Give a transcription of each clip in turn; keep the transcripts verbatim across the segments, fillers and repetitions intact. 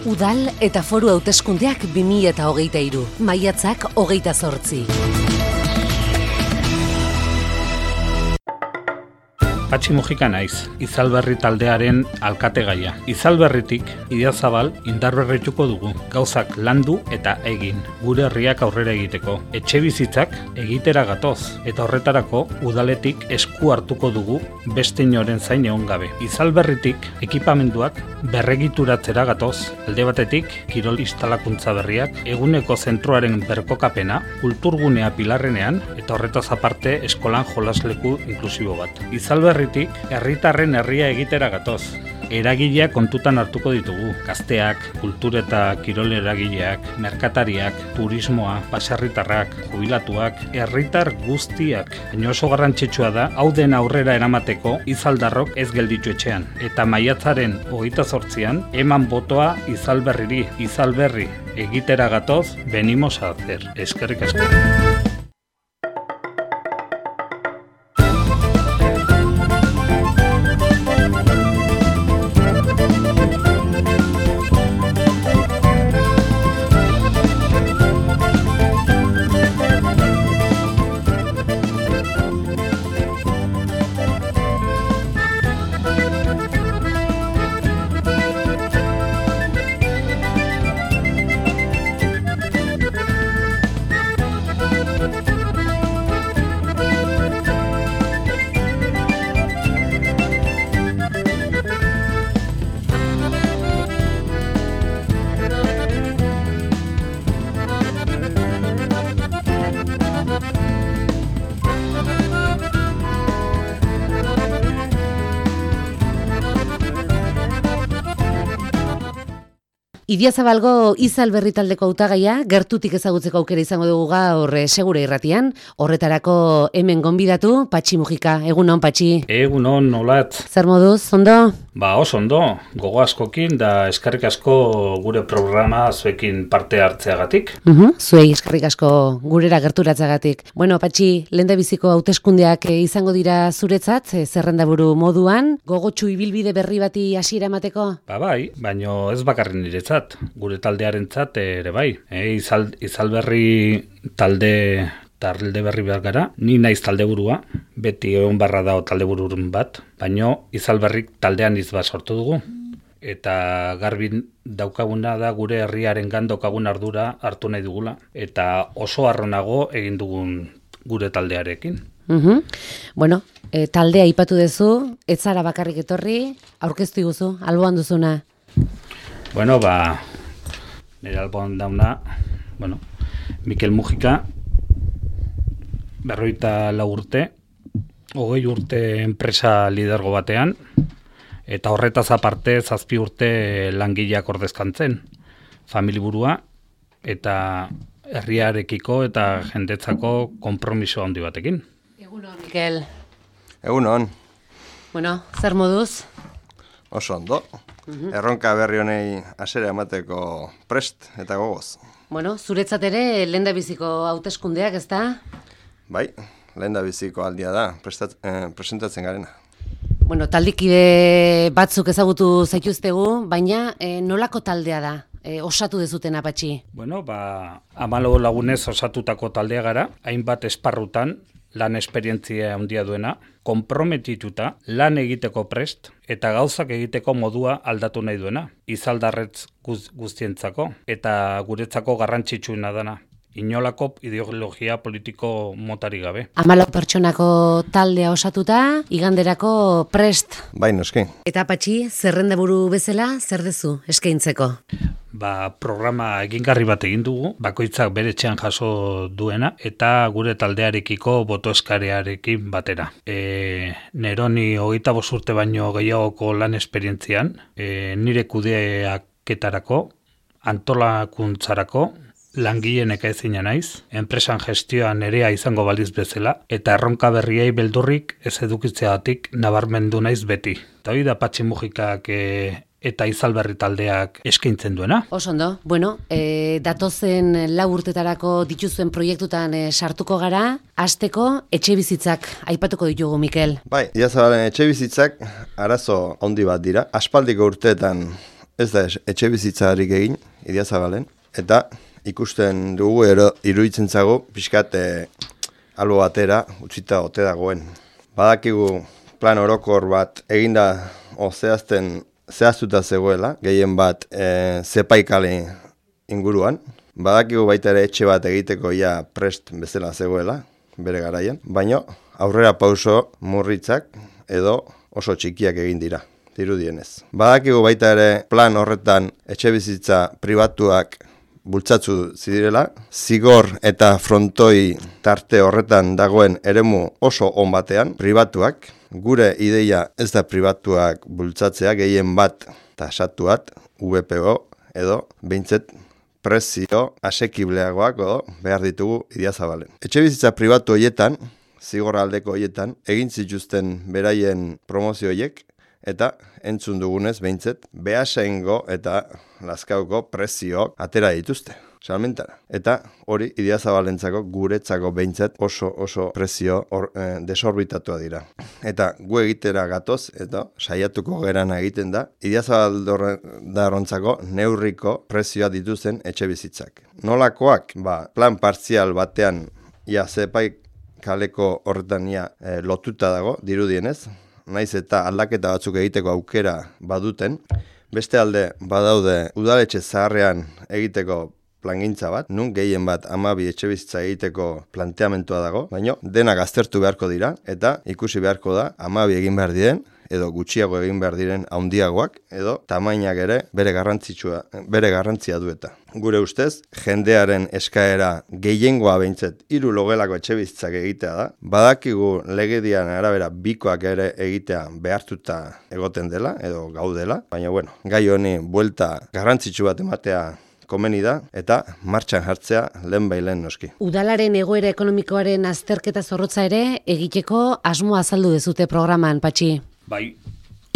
Udal eta foru hauteskundeak bi mila hogeita hiru, maiatzak hogeita zortzi. Patxi Mujika naiz, Izalberri taldearen alkategaia. Izalberritik Idiazabal indarberrituko dugu, gauzak landu eta egin, gure herriak aurrera egiteko. Etxe bizitzak egitera gatoz, eta horretarako udaletik esku hartuko dugu beste inoren zain egon gabe. Izalberritik ekipamenduak berregituratzera gatoz, alde batetik kirol instalakuntza berriak, eguneko zentroaren berkokapena, kulturgunea Pilarrenean, eta horretaz aparte eskolan jolasleku inklusibo bat. Izalberri Herritik, herritarren herria egitera gatoz. Eragileak kontutan hartuko ditugu. Gazteak, kultur eta kirol eragileak, merkatariak, turismoa, baserritarrak, jubilatuak, herritar guztiak. Baina oso garrantzitsua da, hau den aurrera eramateko Izaldarrok ez gelditu etxean. Eta maiatzaren hogeita zortzian, eman botoa Izalberriri. Izalberri egitera gatoz, venimos a hacer. Eskerrik asko. Idiazabalgo Izalberri taldeko hautagaia gertutik ezagutzeko aukera izango dugu gaur Segure Irratian. Horretarako hemen gonbidatu Patxi Mujika. Egunon, Patxi. Egunon, nolat. Zer moduz, ondo? Ba, oso ondo. Gogo askokin da eskerrik asko gure programa zuekin parte hartzeagatik. Uh-huh. Zuei eskerrik asko gurera gerturatzagatik. Bueno, Patxi, lehendabiziko hauteskundeak izango dira zuretzat, zerrendaburu moduan, gogotsu ibilbide berri bati hasiera emateko? Ba bai, baino ez bakarren niretzat, gure taldearentzat ere bai. E, izal, izalberri talde talde berri behar gara, ni naiz taldeburua, beti egon barra dago taldeburun bat, baino Izalberrik taldean izba sortu dugu. Eta garbin daukaguna da gure herriaren gandokagun ardura hartu nahi dugula, eta oso harronago egin dugun gure taldearekin. Uh-huh. Bueno, e, taldea aipatu duzu, ez zara bakarrik etorri, aurkeztu iguzu, alboan duzuna. Bueno, ba, nire alboan dauna, bueno, Mikel Mujika, berroita lau urte, hogei urte enpresa lidergo batean, eta horretaz aparte zazpi urte langileak ordezkantzen, familiburua, eta herriarekiko eta jendetzako konpromiso handi batekin. Egunon, Mikel. Egunon. Bueno, zer moduz? Oso ondo. Uh-huh. Erronka berri honei hasiera emateko prest eta gogoz. Bueno, zuretzat ere lehendabiziko hauteskundeak, ezta? Bai, lehendabiziko aldia da, prestat, eh, presentatzen garena. Bueno, taldekide batzuk ezagutu zaituztegu, baina eh, nolako taldea da? E, osatu dezuten Patxi? Bueno, ba, hamalau lagunez osatutako taldea gara, hainbat esparrutan lan esperientzia handia duena, konprometituta lan egiteko prest eta gauzak egiteko modua aldatu nahi duena, Izaldarretz guz, guztientzako eta guretzako garrantzitsuena dana. Inolako ideologia politiko motari gabe. Hamalau pertsonako taldea osatuta, iganderako prest. Bai, noski. Eta Patxi, zerrendaburu bezala, zer dezu eskaintzeko? Ba, programa egingarri bat egin dugu, bakoitzak bere etxean jaso duena, eta gure taldearekiko boto eskarearekin batera. E, Neroni hogeita bost urte baino gehiagoko lan esperientzian, e, nire kudeaketarako, antolakuntzarako, langileen ekaezina naiz, enpresan gestioan nerea izango baliz bezala, eta erronka berriei beldurrik ez edukitzeagatik nabarmendu naiz beti. Eta hori da Patxi Mujikak e, eta Izalberri taldeak eskaintzen duena. Oso ondo. Bueno, e, datozen lau urtetarako dituzuen proiektutan e, sartuko gara, hasteko etxe bizitzak aipatuko ditugu, Mikel. Bai, Idiazabalen etxe bizitzak arazo handi bat dira. Aspaldiko urteetan ez da etxe bizitzarik egin, Idiazabalen, eta ikusten dugu ero, iruditzen zago, pixkat e, albo batera utzita ote dagoen. Badakigu plan orokor bat eginda o zehazten zehaztuta zegoela, gehien bat e, zepaikale inguruan. Badakigu baita ere etxe bat egiteko ja prest bezala zegoela, bere garaian, baina aurrera pauso murritzak edo oso txikiak egin dira, dirudienez. Badakigu baita ere plan horretan etxe bizitza pribatuak bultzatzu zirela, zigor eta frontoi tarte horretan dagoen eremu oso on batean, pribatuak, gure ideia ez da pribatuak bultzatzea, gehien bat tasatuat, V P O edo behintzet prezio asekibleagoak edo behar ditugu Idiazabalen. Etxe bizitza pribatu horietan, zigor aldeko horietan, egin zituzten beraien promozioiek, eta entzun dugunez behintzet, behasengo eta lazkauko prezioak atera dituzte, salmentara. Eta hori Idiazabalentzako guretzako behintzet oso oso prezio or, eh, desorbitatua dira. Eta gu egitera gatoz, eta saiatuko gerana egiten da, Idiazabaldarontzako neurriko prezioa dituzten etxe bizitzak. Nolakoak, ba, plan partzial batean, ja, zepaik kaleko horretan ja, eh, lotuta dago, dirudienez, naiz eta aldaketa batzuk egiteko aukera baduten, beste alde badaude udaletxe zaharrean egiteko plangintza bat, nun gehien bat hamabi etxebizitza egiteko planteamentua dago, baina denak aztertu beharko dira, eta ikusi beharko da hamabi egin behar diren, edo gutxiago egin behar diren handiagoak, edo tamainak ere bere garrantzitsua, bere garrantzia dueta. Gure ustez, jendearen eskaera gehiengoa behintzet hiru logelako etxebizitzak egitea da. Badakigu legedian arabera bikoak ere egitea behartuta egoten dela, edo gaudela, baina bueno, gai honi buelta garrantzitsu bat ematea komeni da, eta martxan jartzea lehen bailen noski. Udalaren egoera ekonomikoaren azterketa zorrotza ere egiteko asmoa azaldu dezute programan, Patxi. Bai,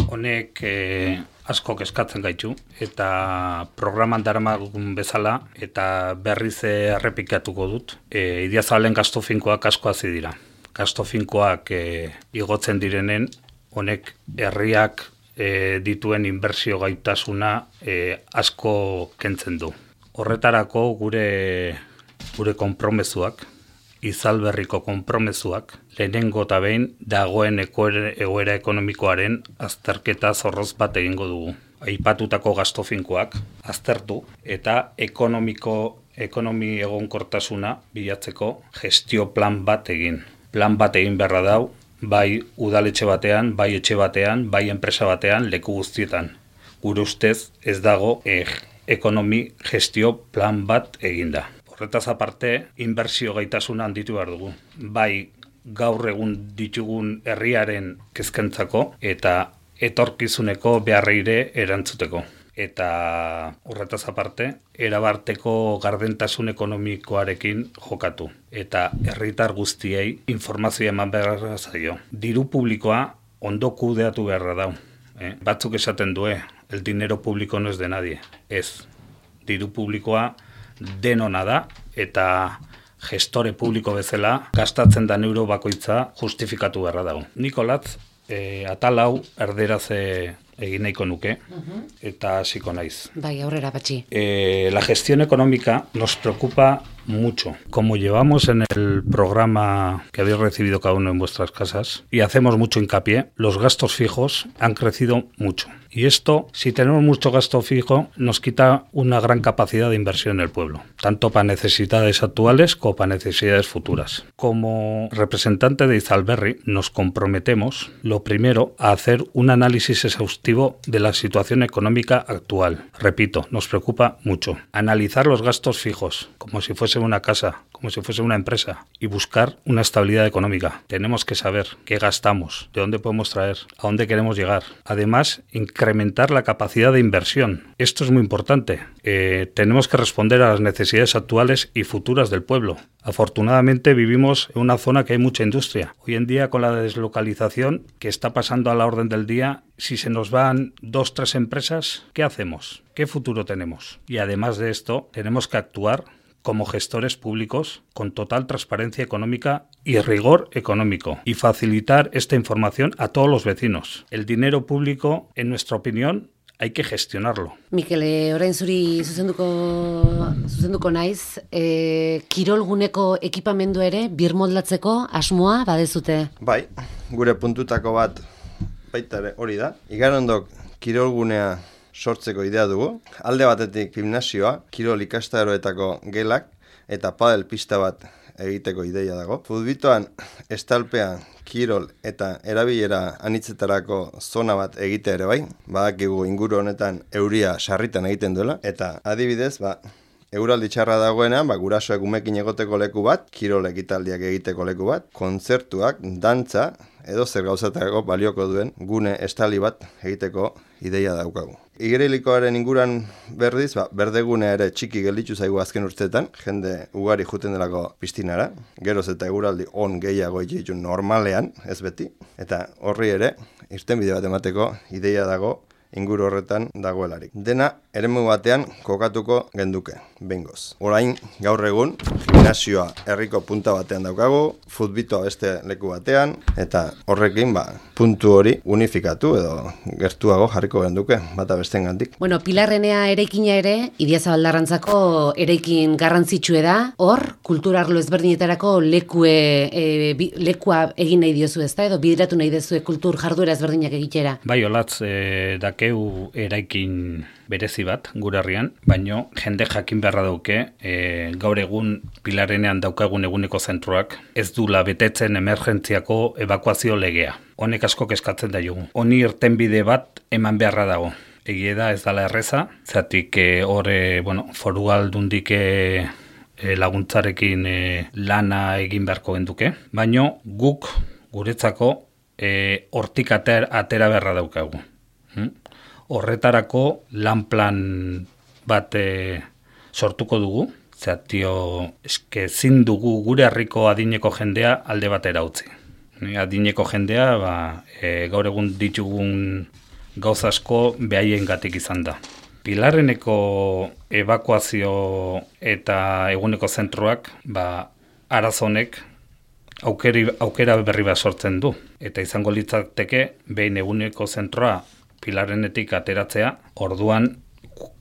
honek eh, asko eskatzen gaitu, eta programan daramagun bezala, eta berriz errepikatuko dut. E, Idiazabalen gastu finkoak asko hazi dira. Gastu finkoak e, igotzen direnen, honek herriak e, dituen inbertsio gaitasuna e, asko kentzen du. Horretarako gure, gure konpromezuak, Izalberriko konpromezuak, lehenengo eta behin dagoen egoera ekonomikoaren azterketa zorroz bat egingo dugu. Aipatutako gastu finkoak aztertu eta ekonomiko, ekonomi egonkortasuna bilatzeko gestio plan bat egin. Plan bat egin beharra dau, bai udaletxe batean, bai etxe batean, bai enpresa batean, leku guztietan. Gure ustez ez dago eh, ekonomi gestio plan bat eginda. Horretaz aparte, inbertsio gaitasuna handitu behar dugu. Bai gaur egun ditugun herriaren kezkentzako eta etorkizuneko beharreire erantzuteko. Eta horretaz aparte, erabarteko gardentasun ekonomikoarekin jokatu. Eta herritar guztiei informazioa eman behar zaio. Diru publikoa ondo kudeatu beharra dau. Eh? Batzuk esaten due, el dinero público no es de nadie. Ez, diru publikoa denona da, eta gestore publiko bezala gastatzen da euro bakoitza justifikatu beharra dago. Nikolatz, e, atal hau erderaz egin nahiko nuke, eta hasiko naiz. Bai, aurrera, Patxi. Eh, la gestión económica nos preocupa mucho. Como llevamos en el programa que habéis recibido cada uno en vuestras casas y hacemos mucho hincapié, los gastos fijos han crecido mucho. Y esto, si tenemos mucho gasto fijo, nos quita una gran capacidad de inversión en el pueblo, tanto para necesidades actuales como para necesidades futuras. Como representante de Izalberri, nos comprometemos, lo primero, a hacer un análisis exhaustivo de la situación económica actual. Repito, nos preocupa mucho. Analizar los gastos fijos, como si fuese una casa, como si fuese una empresa, y buscar una estabilidad económica. Tenemos que saber qué gastamos, de dónde podemos traer, a dónde queremos llegar. Además, incrementar la capacidad de inversión. Esto es muy importante. Eh, tenemos que responder a las necesidades actuales y futuras del pueblo. Afortunadamente vivimos en una zona que hay mucha industria. Hoy en día, con la deslocalización que está pasando a la orden del día, si se nos van dos, tres empresas, ¿qué hacemos? ¿Qué futuro tenemos? Y además de esto, tenemos que actuar como gestores públicos con total transparencia económica y rigor económico y facilitar esta información a todos los vecinos. El dinero público, en nuestra opinión, hay que gestionarlo. Mikel, e, orain zuri zuzenduko, zuzenduko naiz, e, kirolguneko ekipamendu ere birmoldatzeko asmoa badezute? Bai, gure puntutako bat baita ere hori da. Igarondok kirolgunea sortzeko idea dugu. Alde batetik gimnasioa, kirol ikastaroetako gelak eta padel pista bat egiteko ideia dago. Futbitoan estalpean kirol eta erabilera anitzetarako zona bat egitea ere bai. Badakigu inguru honetan euria sarritan egiten duela. Eta adibidez, ba, euraldi txarra dagoenean, ba, gurasoek umekin egoteko leku bat, kirol ekitaldiak egiteko leku bat, kontzertuak, dantza, edo zer gauzatako balioko duen gune estali bat egiteko ideia daukagu. Igerilikoaren inguran berdiz, ba, berdegunea ere txiki gelditu zaigu azken urteetan, jende ugari juten delako piztinara, geroz eta eguraldi on gehiago itxu normalean, ez beti, eta horri ere, irtenbide bat emateko ideia dago inguru horretan dagoelarik. Dena eremu batean kokatuko genduke, bengoz. Orain, gaur egun, gimnasioa herriko punta batean daukagu, futbitoa beste leku batean, eta horrekin, ba, puntu hori unifikatu edo gertuago jarriko genduke, bata bestengandik. Bueno, Pilarrenea eraikina ere, Idiazabaldarrantzako eraikin garrantzitsue da, hor, kulturarlo ezberdinetarako lekue, e, bi, lekua egin nahi diozu ezta, edo bideratu nahi dezue kultur jarduera ezberdinak egitera. Bai, olatz, e, dakeu eraikin berezi bat gure herrian, baino jende jakin beharra dauke, e, gaur egun Pilarrenean daukagun eguneko zentroak ez dula betetzen emergentziako ebakuazio legea. Honek asko kezkatzen da jugu. Honi irtenbide bat eman beharra dago. Egie da ez dala erreza, zatik e, hor e, bueno, foru aldundik e, laguntzarekin e, lana egin beharko genduke, baino guk guretzako e, hortik ater, atera beharra daukagu. Hmm? Horretarako lan plan bat e, sortuko dugu, zatio eske ezin dugu gure herriko adineko jendea alde batera utzi. Adineko jendea ba, e, gaur egun ditugun gauz asko behaiengatik izan da. Pilarreneko ebakuazio eta eguneko zentroak ba, arazonek aukeri, aukera berri bat sortzen du. Eta izango litzateke behin eguneko zentroa Pilarrenetik ateratzea, orduan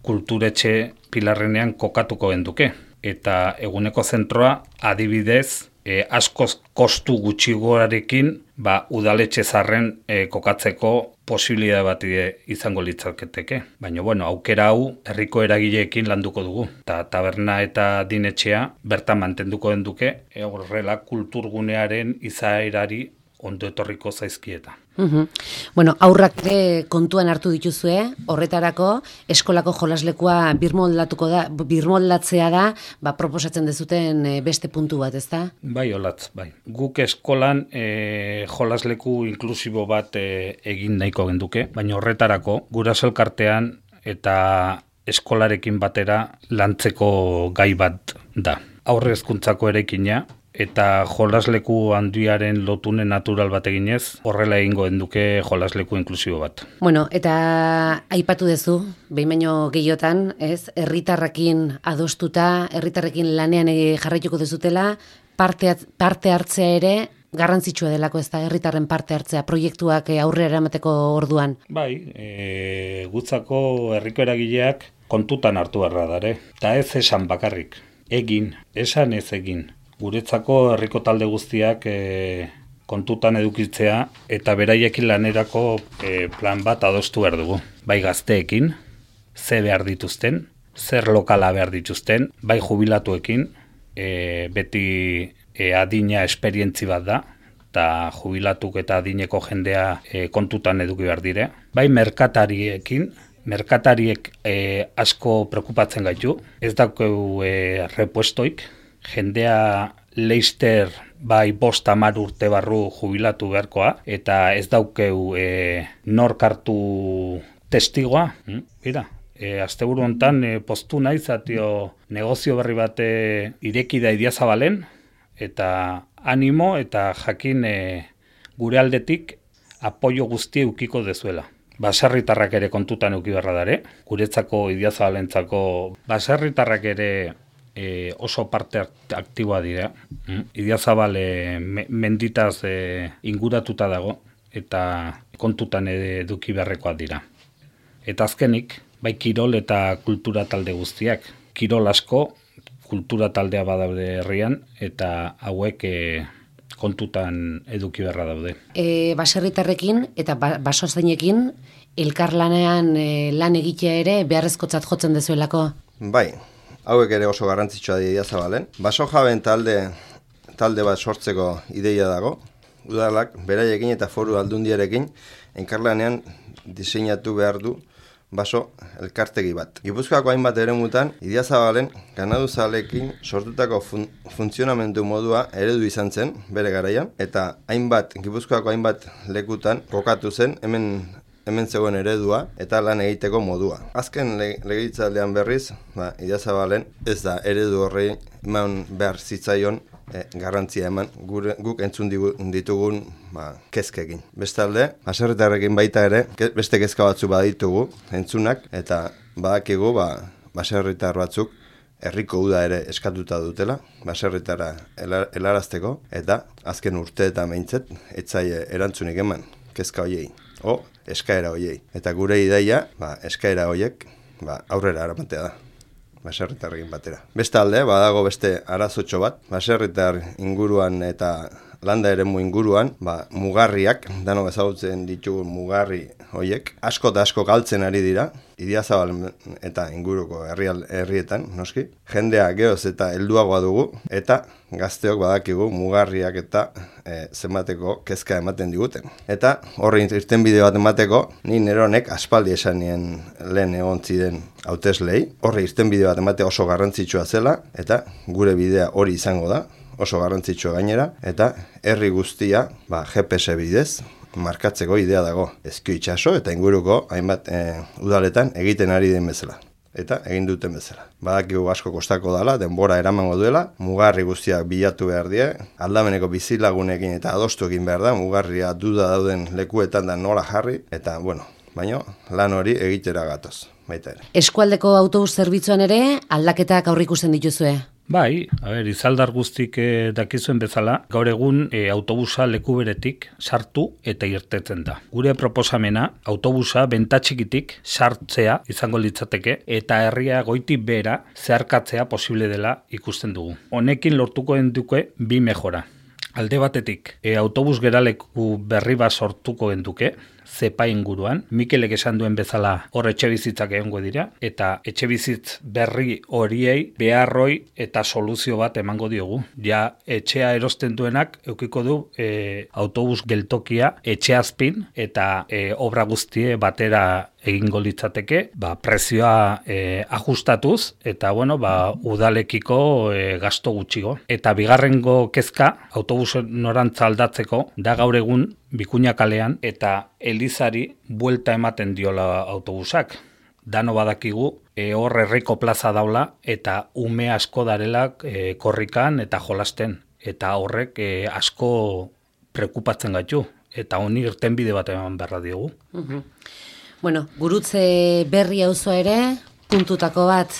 kulturetxe Pilarrenean kokatuko genduke. Eta eguneko zentroa adibidez e, askoz kostu gutxigoarekin ba, udaletxe zarren e, kokatzeko posibilidade bat izango litzaketeke. Baina bueno, aukera hau herriko eragileekin landuko dugu. Ta taberna eta dinetxea bertan mantenduko genduke, e, horrela kulturgunearen izaerari ondo etorriko zaizkieta. Uhum. Bueno, aurrak ere kontuan hartu dituzue, horretarako eskolako jolaslekua birmoldatuko da, birmoldatzea da, ba, proposatzen dezuten beste puntu bat, ezta? Bai, olatz, bai. Guk eskolan e, jolasleku inklusibo bat e, egin nahiko genduke, baina horretarako guraso elkartean eta eskolarekin batera lantzeko gai bat da. Aurre hezkuntzako eraikina, eta jolasleku handiaren lotune natural bat eginez, horrela egingo genduke jolasleku inklusibo bat. Bueno, eta aipatu duzu, behin baino gehiotan, ez, herritarrekin adostuta, herritarrekin lanean jarraituko dezutela, parte, parte hartzea ere garrantzitsua delako, ez da, herritarren parte hartzea, proiektuak aurrera eramateko orduan. Bai, e, gutzako herriko eragileak kontutan hartu beharra dare, eta ez esan bakarrik, egin, esan ez egin. Guretzako herriko talde guztiak e, kontutan edukitzea eta beraiekin lanerako e, plan bat adostu behar dugu. Bai gazteekin, ze behar dituzten, zer lokala behar dituzten, bai jubilatuekin, e, beti e, adina esperientzi bat da, eta jubilatuk eta adineko jendea e, kontutan eduki behar dire. Bai merkatariekin, merkatariek e, asko preokupatzen gaitu, ez daukeu e, repuestoik, jendea leister bai bost hamar urte barru jubilatu beharkoa, eta ez daukeu e, nork hartu testigoa. Hmm? Mira, e, asteburu hontan e, postu naiz atio negozio berri bat e, ireki da Idiazabalen, eta animo eta jakin e, gure aldetik apoio guzti eukiko dezuela. Baserritarrak ere kontutan euki beharra dare, guretzako Idiazabalentzako baserritarrak ere E, oso parte aktiboa dira. Mm? Idiazabal e, me, menditaz e, inguratuta dago eta kontutan eduki beharrekoak dira. Eta azkenik, bai kirol eta kultura talde guztiak. Kirol asko, kultura taldea badaude herrian, eta hauek e, kontutan eduki beharra daude. E, baserritarrekin eta ba, basozainekin elkarlanean e, lan egitea ere beharrezkotzat jotzen dezuelako? Bai, hauek ere oso garrantzitsua dira zabalen. Baso jaben talde, talde bat sortzeko ideia dago. Udalak beraiekin eta foru aldundiarekin elkarlanean diseinatu behar du baso elkartegi bat. Gipuzkoako hainbat eremutan, Idiazabalen ganaduzalekin sortutako fun funtzionamendu modua eredu izan zen bere garaian, eta hainbat, Gipuzkoako hainbat lekutan kokatu zen hemen hemen zegoen eredua eta lan egiteko modua. Azken le legegintzaldian berriz, ba, Idiazabalen ez da eredu horrei eman behar zitzaion E, garrantzia eman gure, guk entzun digu, ditugun ba, kezkekin. Bestalde, baserritarrekin baita ere, ke, beste kezka batzu baditugu entzunak, eta badakigu ba, baserritar batzuk herriko uda ere eskatuta dutela, baserritara elar, helarazteko, eta azken urte eta meintzet, etzaie erantzunik eman kezka hoiei, o eskaera hoiei. Eta gure ideia, ba, eskaera hoiek ba, aurrera aramatea da. Baserritarrekin batera. Bestalde, badago beste arazotxo bat, baserritar inguruan eta landa eremu inguruan, ba, mugarriak, danok ezagutzen ditugun mugarri hoiek, asko eta asko galtzen ari dira, Idiazabal eta inguruko herrial, herrietan, noski. Jendea geoz eta helduagoa dugu, eta gazteok badakigu mugarriak eta e, zenbateko kezka ematen diguten. Eta horri irtenbide bat emateko, ni neronek aspaldi esan nien lehen egon ziren hauteslei, horri irtenbide bat emate oso garrantzitsua zela, eta gure bidea hori izango da, oso garrantzitsua gainera, eta herri guztia ba, G P S bidez markatzeko idea dago. Ezkio itxaso eta inguruko hainbat e, udaletan egiten ari den bezala. Eta egin duten bezala. Badakigu asko kostako dela, denbora eramango duela, mugarri guztiak bilatu behar die, aldameneko bizilagunekin eta adostu egin behar da, mugarria duda dauden lekuetan da nola jarri, eta bueno, baino lan hori egitera gatoz, baita ere. Eskualdeko autobus zerbitzuan ere aldaketak aurreikusten dituzue? Bai, a ber, izaldar guztik eh, dakizuen bezala, gaur egun eh, autobusa leku beretik sartu eta irtetzen da. Gure proposamena, autobusa bentatxikitik sartzea izango litzateke eta herria goitik behera zeharkatzea posible dela ikusten dugu. Honekin lortuko duke bi mejora. Alde batetik, e, autobus geraleku berri bat sortuko genduke, zepa inguruan, Mikelek esan duen bezala hor etxebizitzak egongo dira, eta etxebizitz berri horiei beharroi eta soluzio bat emango diogu. Ja, etxea erosten duenak eukiko du e, autobus geltokia etxeazpin eta e, obra guztie batera egingo litzateke, ba, prezioa e, ajustatuz, eta bueno, ba, udalekiko e, gasto gutxigo. Eta bigarrengo kezka, autobus norantza aldatzeko, da gaur egun Bikuña kalean eta Elizari buelta ematen diola autobusak. Dano badakigu, e, hor herriko plaza daula eta ume asko darelak e, korrikan eta jolasten. Eta horrek e, asko prekupatzen gaitu. Eta honi irtenbide bat eman beharra diogu. Uh-huh. Bueno, gurutze berri auzoa ere, puntutako bat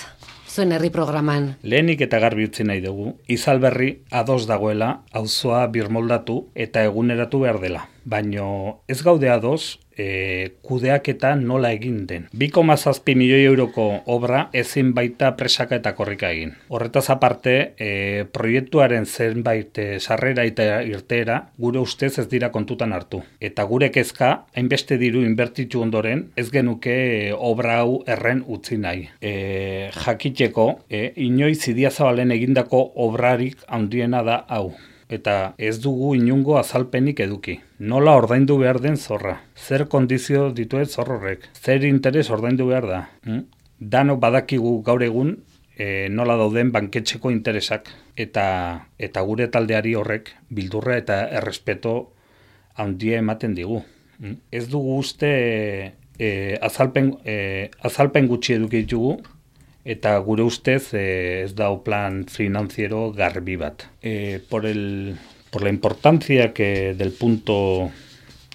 zuen herri programan. Lehenik eta garbi utzi nahi dugu, Izalberri ados dagoela auzoa birmoldatu eta eguneratu behar dela. Baino ez gaude ados e, kudeaketa nola egin den. bi koma zazpi milioi euroko obra ezin baita presaka eta korrika egin. Horretaz aparte, e, proiektuaren zenbait e, sarrera eta irteera gure ustez ez dira kontutan hartu. Eta gure kezka, hainbeste diru inbertitu ondoren, ez genuke e, obra hau erren utzi nahi. E, jakiteko, e, inoiz Idiazabalen egindako obrarik handiena da hau. Eta ez dugu inungo azalpenik eduki. Nola ordaindu behar den zorra? Zer kondizio dituen zorrorrek? Zer interes ordaindu behar da? Hm? Dano badakigu gaur egun e, nola dauden banketxeko interesak. Eta, eta gure taldeari horrek bildurra eta errespeto handia ematen digu. Hm? Ez dugu uste e, azalpen, e, azalpen gutxi eduki ditugu, eta gure ustez eh, ez da plan financiero garbi bat. Eh, por, el, por la importancia que del punto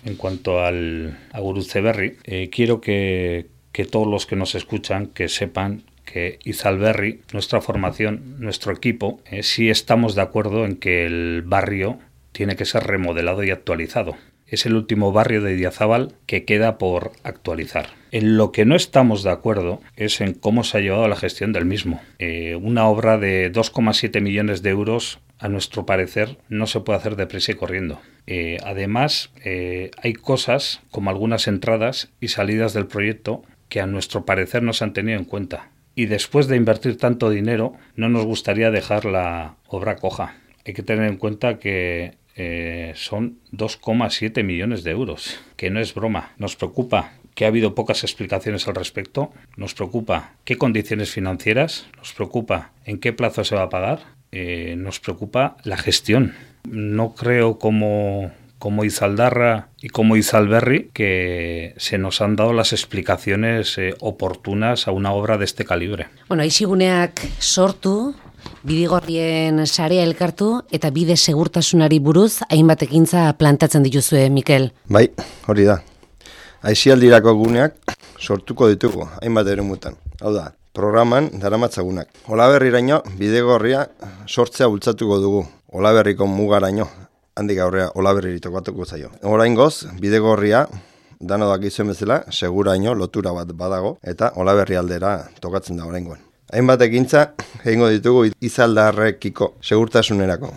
en cuanto al a Gurutze Berri, eh, quiero que, que todos los que nos escuchan que sepan que Izalberri, nuestra formación, nuestro equipo, eh, sí estamos de acuerdo en que el barrio tiene que ser remodelado y actualizado. es el último barrio de Idiazabal que queda por actualizar. En lo que no estamos de acuerdo es en cómo se ha llevado la gestión del mismo. Eh, una obra de dos coma siete millones de euros, a nuestro parecer, no se puede hacer deprisa y corriendo. Eh, además, eh, hay cosas como algunas entradas y salidas del proyecto que a nuestro parecer no se han tenido en cuenta. Y después de invertir tanto dinero, no nos gustaría dejar la obra coja. Hay que tener en cuenta que Eh, son dos coma siete millones de euros, que no es broma. Nos preocupa que ha habido pocas explicaciones al respecto, nos preocupa qué condiciones financieras, nos preocupa en qué plazo se va a pagar, eh, nos preocupa la gestión. No creo como, como Izaldarra y como Izalberri que se nos han dado las explicaciones eh, oportunas a una obra de este calibre. Bueno, aiziguneak sortu, Bidigorrien sarea elkartu eta bide segurtasunari buruz hainbat ekintza plantatzen dituzue, Mikel. Bai, hori da. Aisialdirako guneak sortuko ditugu hainbat eremutan. Hau da, programan daramatzagunak. Olaberriraino Bidegorria sortzea bultzatuko dugu. Olaberriko mugaraino, handik aurrea Olaberriri tokatuko zaio. Oraingoz, Bidegorria dano dakizuen bezala, seguraino lotura bat badago eta Olaberri aldera tokatzen da oraingoan. Hainbat ekintza egingo ditugu Izaldarrekiko segurtasunerako.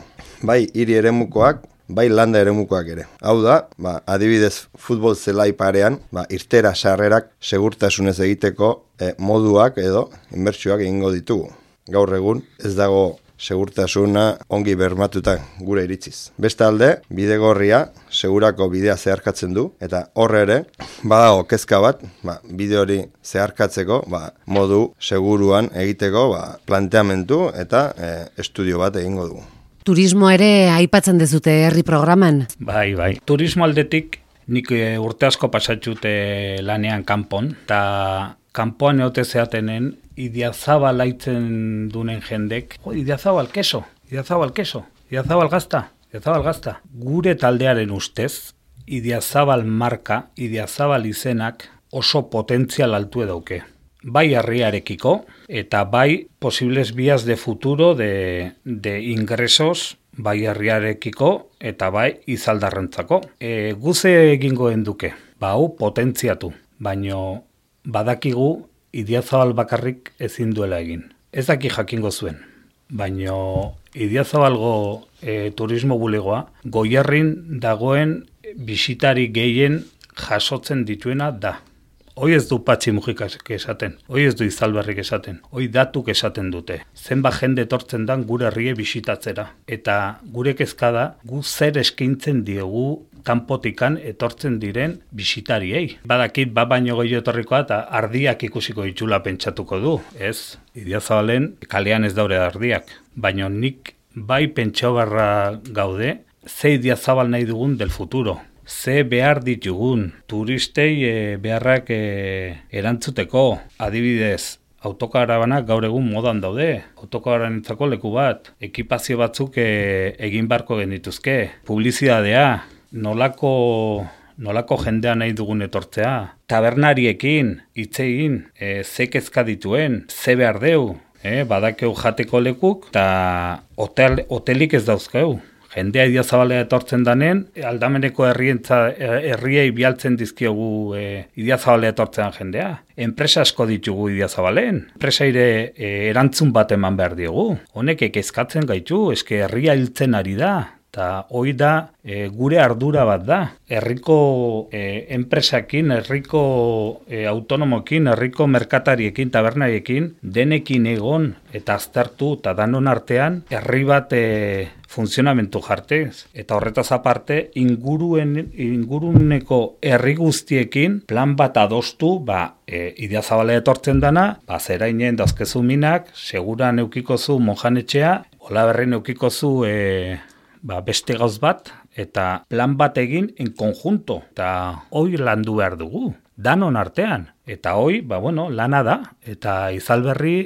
Bai hiri eremukoak, bai landa eremukoak ere. Hau da, ba, adibidez futbol zelai parean, ba, irtera sarrerak segurtasunez egiteko eh, moduak edo inbertsioak egingo ditugu. Gaur egun ez dago segurtasuna ongi bermatuta gure iritziz. Bestalde, Bidegorria segurako bidea zeharkatzen du, eta horre ere, badago kezka bat, ba, bide hori zeharkatzeko, ba, modu seguruan egiteko ba, planteamendu eta e, estudio bat egingo dugu. Turismo ere aipatzen dezute herri programan. Bai, bai. Turismo aldetik nik urte asko pasatxute lanean kanpon, eta kanpoan eote zeatenen, Idiazabal aitzen dunen jendek, jo, Idiazabal keso, Idiazabal keso, Idiazabal gazta, Idiazabal gazta. Gure taldearen ustez, Idiazabal marka, Idiazabal izenak oso potentzial altu edauke. Bai herriarekiko eta bai posibles vías de futuro de, de ingresos bai herriarekiko eta bai Izaldarrentzako. E, guze egingo enduke, ba hau potentziatu, baino badakigu Idiazabal bakarrik ezin duela egin. Ez daki jakingo zuen, baino Idiazabalgo e, turismo bulegoa Goierrin dagoen bisitari gehien jasotzen dituena da. Hoi ez du Patxi Mujikak esaten, hoi ez du Izalberrik esaten, hoi datuk esaten dute. Zenba jende etortzen dan gure herrie bisitatzera. Eta gure kezka da, gu zer eskaintzen diegu kanpotikan etortzen diren bisitariei. Badakit ba baino gehiago etorrikoa eta ardiak ikusiko ditula pentsatuko du, ez? Idiazabalen kalean ez daure ardiak, baino nik bai pentsabarra gaude, ze Idiazabal nahi dugun del futuro. Ze behar ditugun, turistei e, beharrak e, erantzuteko, adibidez, autokarabanak gaur egun modan daude, autokarabanentzako leku bat, ekipazio batzuk e, egin barko genituzke, publizidadea, nolako, nolako jendea nahi dugun etortzea, tabernariekin, hitz egin, e, ze kezka dituen, ze behar deu, e, badakeu jateko lekuk, eta hotel, hotelik ez dauzkeu. Jendea Idiazabalea etortzen danen, aldameneko herrientza, herriei bialtzen dizkiogu e, Idiazabalea etortzen jendea. Enpresa asko ditugu Idiazabalen. Enpresa ere e, erantzun bat eman behar diogu. Honek ekezkatzen gaitu, eske herria hiltzen ari da. Eta hoi da e, gure ardura bat da. Herriko e, enpresakin, herriko e, autonomokin, herriko merkatariekin, tabernariekin, denekin egon eta aztertu eta danon artean herri bat e, funtzionamentu jartez. Eta horretaz aparte, inguruen, inguruneko herri guztiekin plan bat adostu, ba, e, Idiazabala etortzen dana, ba, zerainen dauzkezu minak, seguran eukikozu monjanetxea, Olaberrin eukikozu e, ba, beste gauz bat, eta plan bat egin en konjunto, eta hoi landu behar dugu, danon artean. Eta hoi, ba, bueno, lana da, eta Izalberri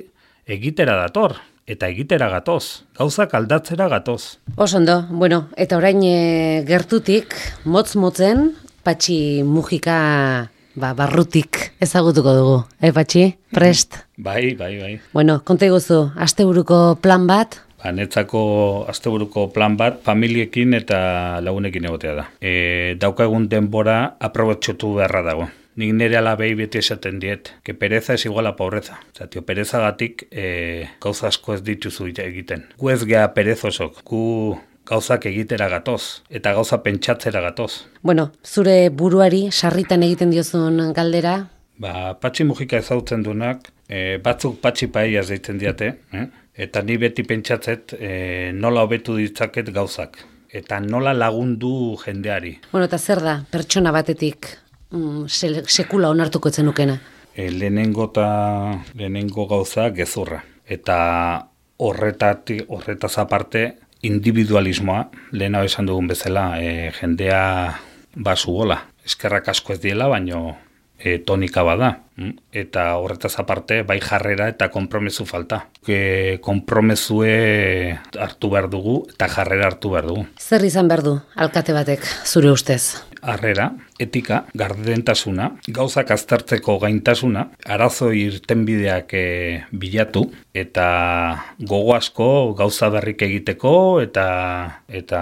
egitera dator. Eta egitera gatoz, gauzak aldatzera gatoz. Osondo, bueno, eta orain e, gertutik, motz-motzen, Patxi Mujika ba, barrutik ezagutuko dugu. Eh, Patxi? Prest? Bai, bai, bai. Bueno, konta iguzu, asteburuko plan bat, Ba, netzako asteburuko plan bat familiekin eta lagunekin egotea da. E, daukagun denbora aprobetxotu beharra dago. Nik nire alabei beti esaten diet, que pereza es igual a pobreza. Osa, tio, perezagatik e, gauza asko ez dituzu egiten. Gu ez gea perezosok, gu gauzak egitera gatoz, eta gauza pentsatzera gatoz. Bueno, zure buruari sarritan egiten diozun galdera? Ba, Patxi Mujika ezautzen dunak, e, batzuk Patxi Paellas deitzen diate, eh? Eta ni beti pentsatzet e, nola hobetu ditzaket gauzak, eta nola lagundu jendeari. Bueno, eta zer da, pertsona batetik mm, se, sekula onartuko etzen nukena? E, lehenengo eta lehenengo gauza gezurra. Eta horretatik, horretaz aparte, individualismoa, lehena esan dugun bezala, e, jendea basu gola. Eskerrak asko ez diela, baino e, tonika bada. Eta horretaz aparte, bai jarrera eta konpromesu falta. E, konpromesue hartu behar dugu eta jarrera hartu behar dugu. Zer izan behar du, alkate batek, zure ustez? Harrera, etika, gardentasuna, gauzak aztertzeko gaintasuna, arazo irtenbideak e, bilatu, eta gogo asko gauza berrik egiteko eta eta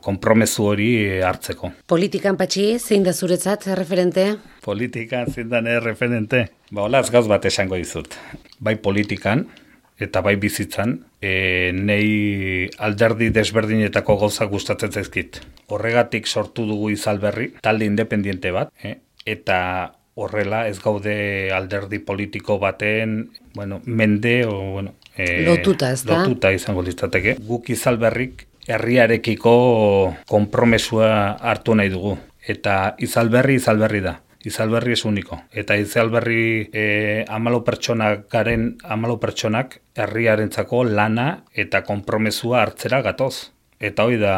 konpromesu hori hartzeko. Politikan, Patxi, zein da zuretzat referente? Politikan zein da referente? Ba, holaz gauz bat esango dizut. Bai politikan, eta bai bizitzan, e, nei alderdi desberdinetako gauza gustatzen zaizkit. Horregatik sortu dugu Izalberri, talde independiente bat, e, eta horrela ez gaude alderdi politiko baten, bueno, mende o bueno, e, lotuta, ez da? Lotuta izango litzateke. Guk Izalberrik herriarekiko konpromesua hartu nahi dugu, eta Izalberri Izalberri da. Izalberri es único. Eta Izalberri e, amalau pertsonak garen amalau pertsonak herriarentzako lana eta konpromesua hartzera gatoz. Eta hori da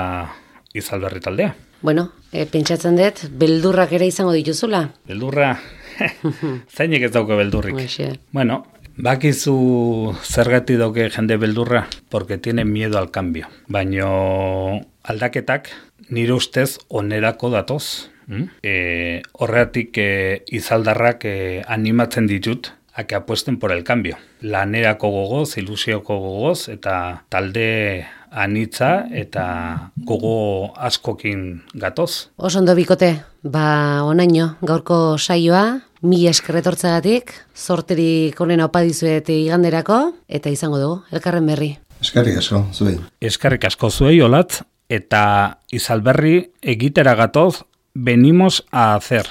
Izalberri taldea. Bueno, e, pentsatzen dut, beldurrak ere izango dituzula? Beldurra? Zainik ez dauke beldurrik. Oixe. Bueno, bakizu zergatik dauke jende beldurra, porque tiene miedo al cambio. Baino aldaketak nire ustez onerako datoz. Mm? E, horregatik e, Izaldarrak e, animatzen ditut a que apuesten por el cambio. Lanerako gogoz, ilusioko gogoz, eta talde anitza eta gogo askokin gatoz. Oso ondo bikote, ba onaino gaurko saioa, mila eskerretortzagatik, zorterik onena opa dizuet iganderako, eta izango dugu, elkarren berri. Eskerrik asko, zuei. Eskerrik asko zuei, Olatz, eta Izalberri egitera gatoz, venimos a hacer.